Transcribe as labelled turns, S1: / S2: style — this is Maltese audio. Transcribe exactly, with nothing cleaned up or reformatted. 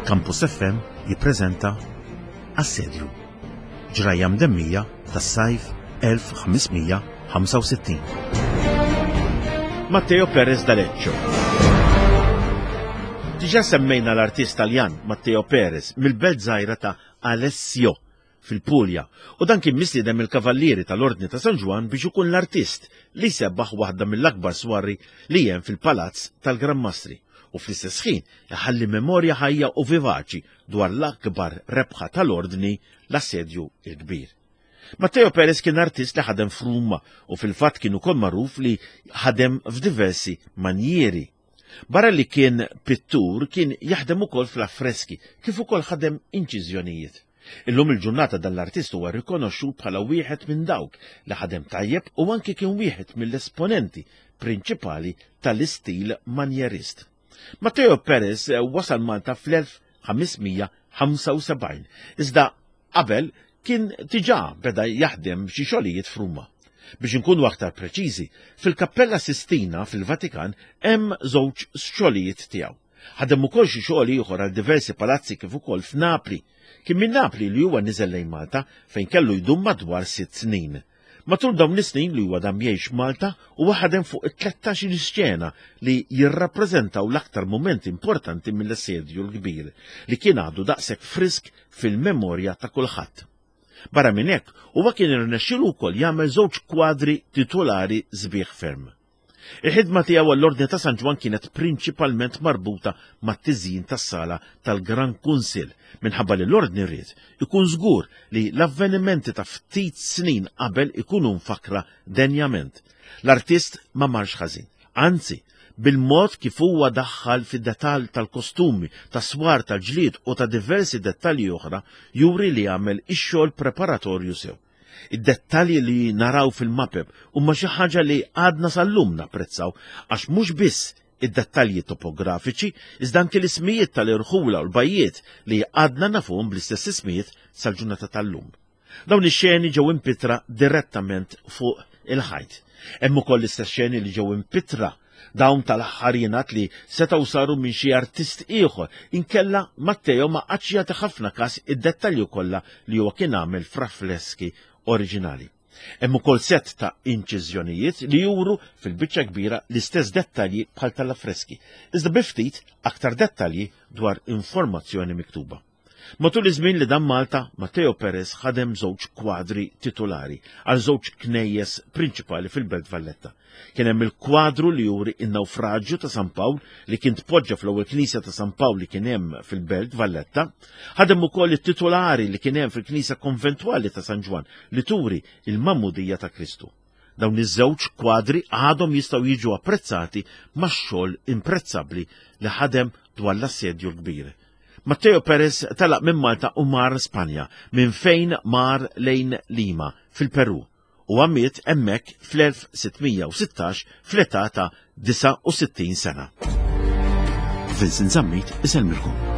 S1: Campus F M jippreżenta Assedju. Ġrajja mdemmija tas-sajf elf ħames mija ħamsa u sittin. Matteo Perez d'Aleccio. Diġà semmejna l-artist Taljan Matteo Perez mill-belt żgħira ta' Alessio fil-Puglia u dan kien mistieden mill-Kavallieri tal-Ordni ta' San Ġwann biex ikun l-artist li sebbaħ waħda mill-akbar swarri li hemm fil-Palazz tal-Gran Mastri u fl-istess ħin iħalli memorja ħajja u vivaċi dwar l-akbar rebħa tal-Ordni, l-Assedju il-Kbir. Matteo Perez kien artist li ħadem f'Ruma u fil-fatt kien ukoll magħruf li ħadem f'diversi manjieri. Barra li kien pittur, kien jaħdem ukoll fl-affreski, kif ukoll ħadem inċiżjonijiet. Illum il-ġurnata dan l-artist huwa rikonoxxut bħala wieħed minn dawk li ħadem tajjeb u anki kien wieħed mill-esponenti prinċipali tal-istil manjerist. Matteo Perez wasal Malta fl-elf ħames mija ħamsa u sebgħin, iżda qabel kien diġà beda jaħdem xi xogħlijiet f'Ruma. Biex inkunu aktar preċiżi, fil-Kappella Sistina fil-Vatikan hemm żewġ xogħlijiet tiegħu. Ħadem ukoll xi xogħol ieħor għal diversi palazzi kif ukoll f'Napli. Kien minn Napli li huwa niżel lejn Malta, fejn kellu jdum madwar sitt snin. Matul dawn is-snin li huwa dam jgħix Malta, huwa ħadem fuq it-tlettax-il xena li jirrappreżentaw l-aktar momenti importanti mill-Assedju l-Kbir li kien għadu daqshekk frisk fil-memorja ta' kulħadd. Barra minn hekk, huwa kien irnexxielu wkoll jagħmel żewġ kwadri titolari sbieħ ferm. Il-ħidma tiegħu għall-Ordni ta' San Ġwann kienet prinċipalment marbuta mat-tiżjin tas-sala tal-Gran Kunsill, minħabba li l-Ordni ried ikun żgur li l-avvenimenti ta' ftit snin qabel ikunu mfakra denjament. L-artist ma marx ħażin, anzi, bil-mod kif huwa daħħal fid-detall tal-kostumi, ta' swar tal-ġlied u ta' diversi dettalji oħra, juri li għamel ix-xogħol preparatorju sew. Id-dettalji li naraw fil-mapep huma xi ħaġa li għadna sal-lum napprezzaw, għax mhux biss id-dettalji topografiċi, iżda anke l-ismijiet tal-irħula u l-bajjiet li għadna nafuhom bl-istess ismijiet sal-ġurnata tal-lum. Dawn ix-xeni ġew impittra direttament fuq il-ħajt. Hemm ukoll l-istess xeni li ġew impittra. Dawn tal-aħħar jingħad li setgħu saru minn xi artist ieħor, inkella Matteo ma qagħadx jagħti ħafna kas id-dettalji kollha li huwa kien għamel fl-affreski oriġinali. Hemm ukoll set ta' inċiżjonijiet li juru fil-biċċa kbira l-istess dettalji bħal tal-affreski, iżda bi ftit aktar dettalji dwar informazzjoni miktuba. Matul iż-żmien li dam Malta, Matteo Perez ħadem żewġ kwadri titolari għal żewġ knejjes prinċipali fil-Belt Valletta. Kien hemm il-kwadru li juri in-nawfraġġju ta' San Pawl li kien tpoġġa fl-ewwel knisja ta' San Pawl li kien hemm fil-Belt Valletta. Ħadem ukoll it-titolari li kien hemm fil-Knisja Konventwali ta' San Ġwann li turi il-Magħmudija ta' Kristu. Dawn iż-żewġ kwadri għadhom jistgħu jiġu apprezzati max-xogħol imprezzabbli li ħadem dwar l-Assedju l-Kbir. Matteo Perez telaq minn Malta u mar Spanja, minn fejn mar lejn Lima fil-Peru, u miet hemmhekk fl-elf sitt mija u sittax fl-età ta' disgħa u sittin sena. Vincent Zammit isellmilkom.